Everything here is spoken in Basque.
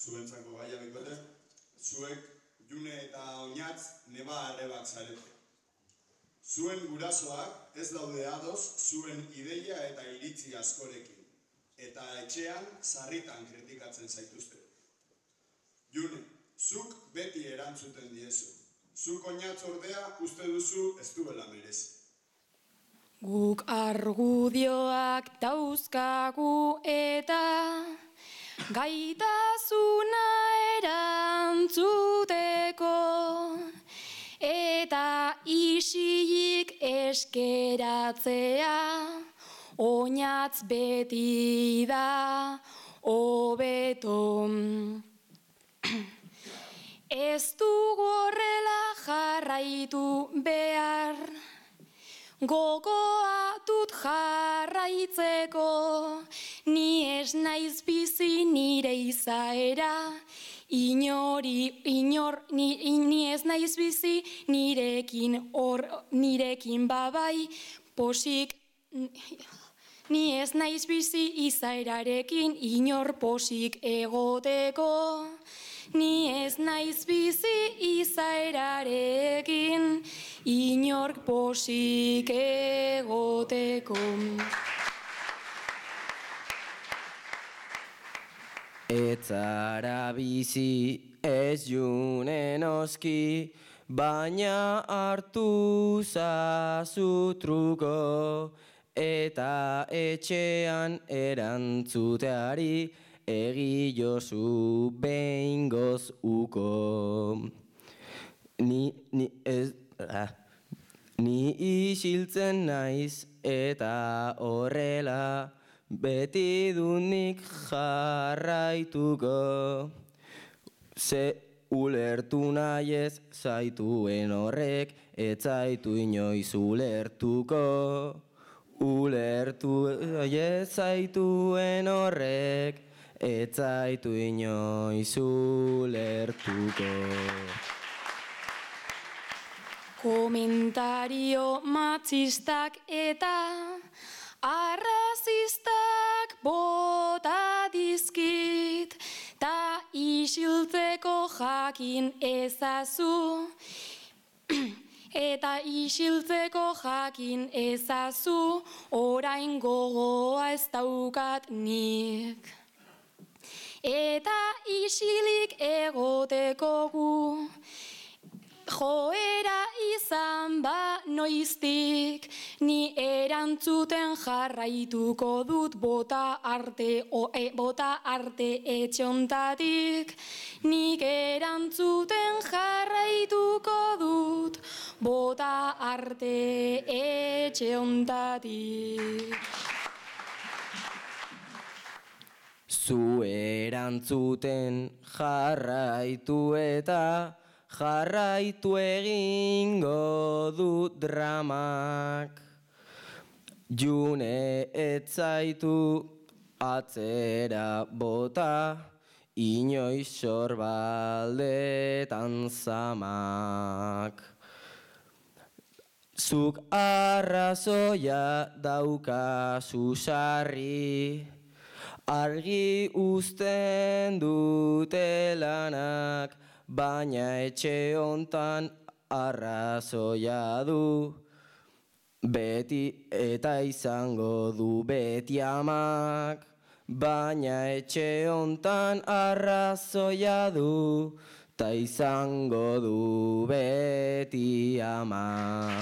zuentzako gaia bikote, zuek June eta Oñatz neba arrebak zarete. Zuen gurasoak ez daude ados zuen ideia eta iritzi askorekin, eta etxean sarritan kritikatzen zaituzte. June, zuk beti erantzuten diezu. Zuk Oñatz ordea uste duzu ez duela merezi. Guk argudioak dauzkagu eta gaitasuna erantzuteko eta isilik eskeratzea Oñatz beti da hobeto. Ez dugu horrela jarraitu behar, gogoa dut jarraitzeko, ni ez naiz bizi nire izaera, ni ez naiz bizi nirekin babai, posik, ni ez naiz bizi izaerarekin inor posik egoteko. Ni ez naiz bizi izaerarekin inork posik egoteko. Etzara bizi ez June noski, baina hartu zazu truko, eta etxean erantzuteari egi jozu behingoz uko. Ni isiltzen naiz eta horrela beti dunik jarraituko. Ze ulertu nahi ez zaituen horrek, ez zaitu inoiz ulertuko. Ulertu ez zaituen horrek, ez zaitu inoiz ulertuko. Komentario matxistak eta arrazistak bota dizkit, ta isiltzeko jakin ezazu. Eta isiltzeko jakin ezazu, orain gogoa ez daukat nik. Eta isilik egoteko gu, joera izan ba noiztik, ni erantzuten jarraituko dut bota arte etxontatik. Nik erantzuten jarraituko dut bota arte etxontatik. Zu erantzuten jarraitu eta jarraitu egingo dut dramak. June ez zaitu atzera bota, inoiz sorbaldetan zamak. Zuk arrazoia daukazu sarri, argi uzten dute lanak, baina etxe hontan arrazoia du. Beti eta izango du beti amak, baina etxe hontan arrazoia du, ta izango du beti amak.